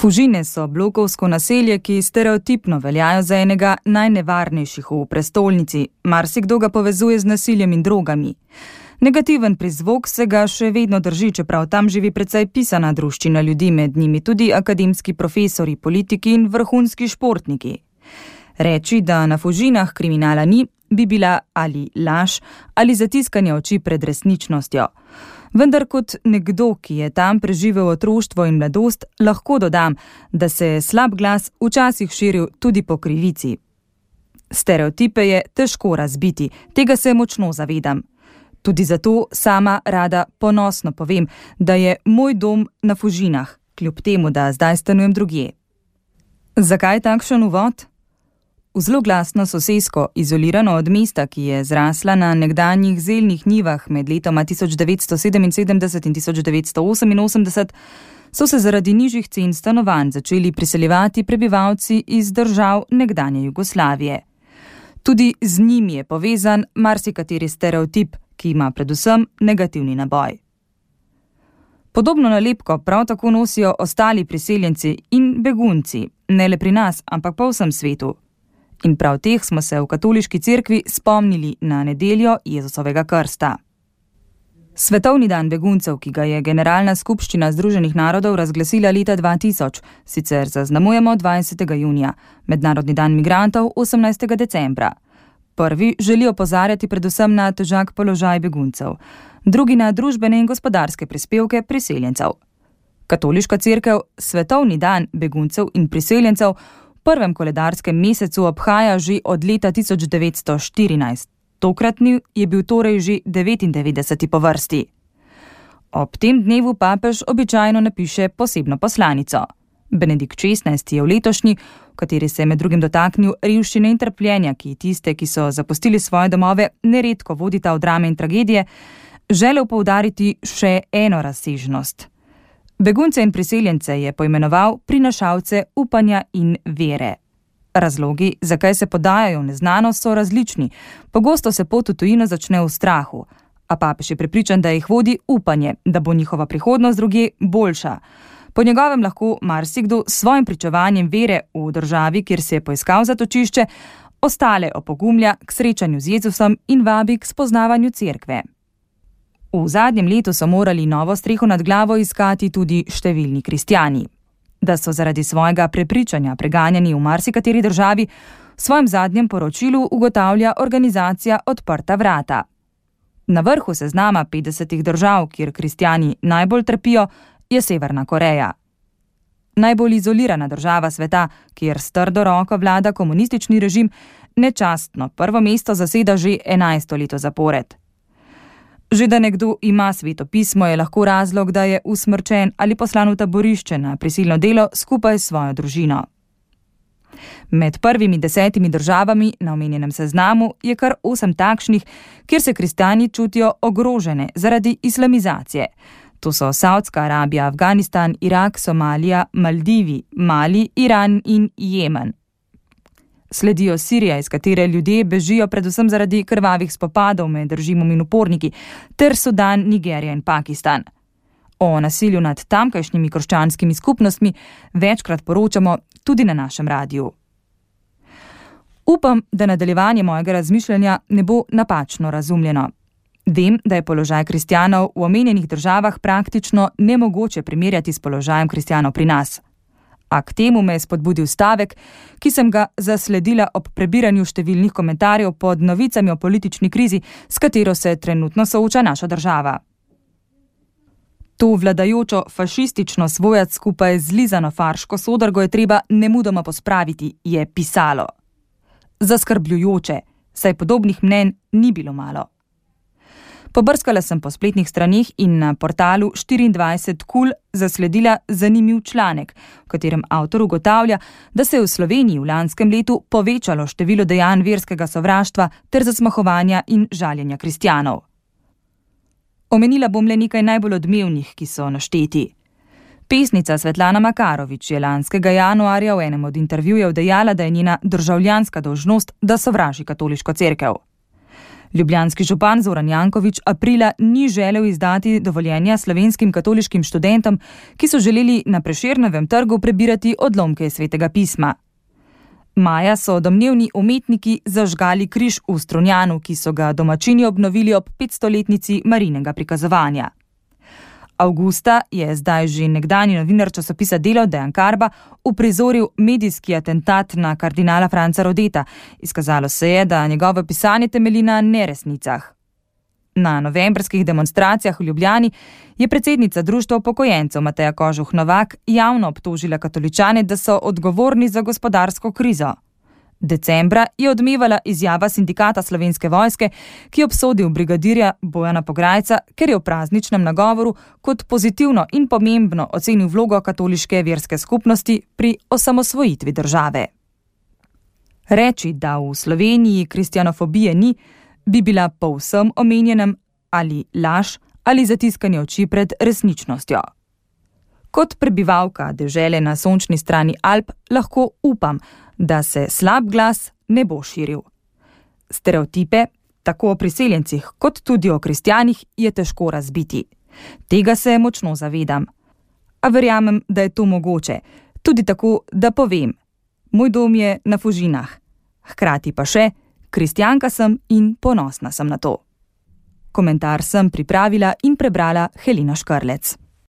Fužine so blokovsko naselje, ki stereotipno veljajo za enega najnevarnejših v prestolnici. Marsikdo ga povezuje z nasiljem in drogami. Negativen prizvok se ga še vedno drži, čeprav tam živi precej pisana druščina ljudi, med njimi tudi akademski profesori, politiki in vrhunski športniki. Reči, da na Fužinah kriminala ni, bi bila ali laž ali zatiskanje oči pred resničnostjo. Vendar kot nekdo, ki je tam preživel otroštvo in mladost, lahko dodam, da se je slab glas včasih širil tudi po krivici. Stereotipe je težko razbiti, tega se močno zavedam. Tudi zato sama rada ponosno povem, da je moj dom na Fužinah, kljub temu, da zdaj stanujem drugje. Zakaj takšen uvod? V zloglasno sosesko, izolirano od mesta, ki je zrasla na nekdanjih zeljnih njivah med letoma 1977 in 1988, so se zaradi nižjih cen stanovanj začeli priseljevati prebivalci iz držav nekdanje Jugoslavije. Tudi z njimi je povezan marsikateri stereotip, ki ima predvsem negativni naboj. Podobno nalepko prav tako nosijo ostali priseljenci in begunci, ne le pri nas, ampak po vsem svetu. In prav teh smo se v katoliški cerkvi spomnili na nedeljo Jezusovega krsta. Svetovni dan beguncev, ki ga je Generalna skupščina Združenih narodov razglasila leta 2000, sicer zaznamujemo 20. junija, Mednarodni dan migrantov 18. decembra. Prvi želi opozarjati predvsem na težak položaj beguncev, drugi na družbene in gospodarske prispevke priseljencev. Katoliška cerkev Svetovni dan beguncev in priseljencev v prvem koledarskem mesecu obhaja že od leta 1914. Tokratni je bil torej že 99. po vrsti. Ob tem dnevu papež običajno napiše posebno poslanico. Benedikt XVI je v letošnji, v kateri se je med drugim dotaknil revščine in trpljenja, ki tiste, ki so zapustili svoje domove, neredko vodita v drame in tragedije, želel poudariti še eno razsežnost. Begunce in priseljence je poimenoval prinašalce upanja in vere. Razlogi, zakaj se podajajo v neznanost, so različni. Pogosto se pot v tujino začne v strahu, a papež je prepričan, da jih vodi upanje, da bo njihova prihodnost drugje boljša. Po njegovem lahko marsikdo s svojim pričevanjem vere v državi, kjer se je poiskal zatočišče, ostale opogumlja k srečanju z Jezusom in vabi k spoznavanju cerkve. V zadnjem letu so morali novo streho nad glavo iskati tudi številni kristjani. Da so zaradi svojega prepričanja preganjani v marsikateri državi, v svojem zadnjem poročilu ugotavlja organizacija Odprta vrata. Na vrhu seznama 50 držav, kjer kristjani najbolj trpijo, je Severna Koreja. Najbolj izolirana država sveta, kjer s trdo roko vlada komunistični režim, nečastno prvo mesto zaseda že 11. leto zapored. Že da nekdo ima Sveto pismo, je lahko razlog, da je usmrčen ali poslan v taborišče na prisilno delo skupaj s svojo družino. Med prvimi 10 državami na omenjenem seznamu je kar 8 takšnih, kjer se kristjani čutijo ogrožene zaradi islamizacije. To so Saudska Arabija, Afganistan, Irak, Somalija, Maldivi, Mali, Iran in Jemen. Sledijo Sirija, iz katere ljudje bežijo predvsem zaradi krvavih spopadov med režimom in uporniki, ter Sudan, Nigerija in Pakistan. O nasilju nad tamkajšnjimi krščanskimi skupnostmi večkrat poročamo tudi na našem radiju. Upam, da nadaljevanje mojega razmišljanja ne bo napačno razumljeno. Vem, da je položaj kristjanov v omenjenih državah praktično nemogoče primerjati s položajem kristjanov pri nas. A k temu me je spodbudil stavek, ki sem ga zasledila ob prebiranju številnih komentarjev pod novicami o politični krizi, s katero se trenutno sooča naša država. To vladajočo fašistično svojac skupaj z zlizano farško sodrgo je treba nemudoma pospraviti, je pisalo. Zaskrbljujoče, saj podobnih mnenj ni bilo malo. Pobrskala sem po spletnih straneh in na portalu 24KUL zasledila zanimiv članek, v katerem avtor ugotavlja, da se je v Sloveniji v lanskem letu povečalo število dejanj verskega sovraštva ter zasmahovanja in žaljenja kristjanov. Omenila bom le nekaj najbolj odmevnih, ki so našteti. Pesnica Svetlana Makarovič je lanskega januarja v enem od intervjujev dejala, da je njena državljanska dolžnost, da sovraži katoliško cerkev. Ljubljanski župan Zoran Janković aprila ni želel izdati dovoljenja slovenskim katoliškim študentom, ki so želeli na Prešernovem trgu prebirati odlomke iz Svetega pisma. Maja so domnevni umetniki zažgali križ v Strunjanu, ki so ga domačini obnovili ob 500-letnici Marijinega prikazovanja. Avgusta je zdaj že nekdanji novinar časopisa Delo Dejan Karba uprizoril medijski atentat na kardinala Franca Rodeta. Izkazalo se je, da njegovo pisanje temelji na neresnicah. Na novembrskih demonstracijah v Ljubljani je predsednica Društva upokojencev Mateja Kožuh Novak javno obtožila katoličane, da so odgovorni za gospodarsko krizo. Decembra je odmevala izjava sindikata Slovenske vojske, ki je obsodil brigadirja Bojana Pograjca, ker je v prazničnem nagovoru kot pozitivno in pomembno ocenil vlogo katoliške verske skupnosti pri osamosvojitvi države. Reči, da v Sloveniji kristjanofobije ni, bi bila po vsem omenjenem ali laž ali zatiskanje oči pred resničnostjo. Kot prebivalka dežele na sončni strani Alp lahko upam, da se slab glas ne bo širil. Stereotipe, tako o priseljencih kot tudi o kristjanih, je težko razbiti. Tega se močno zavedam. A verjamem, da je to mogoče, tudi tako, da povem: moj dom je na Fužinah. Hkrati pa še: kristjanka sem in ponosna sem na to. Komentar sem pripravila in prebrala Helena Škrlec.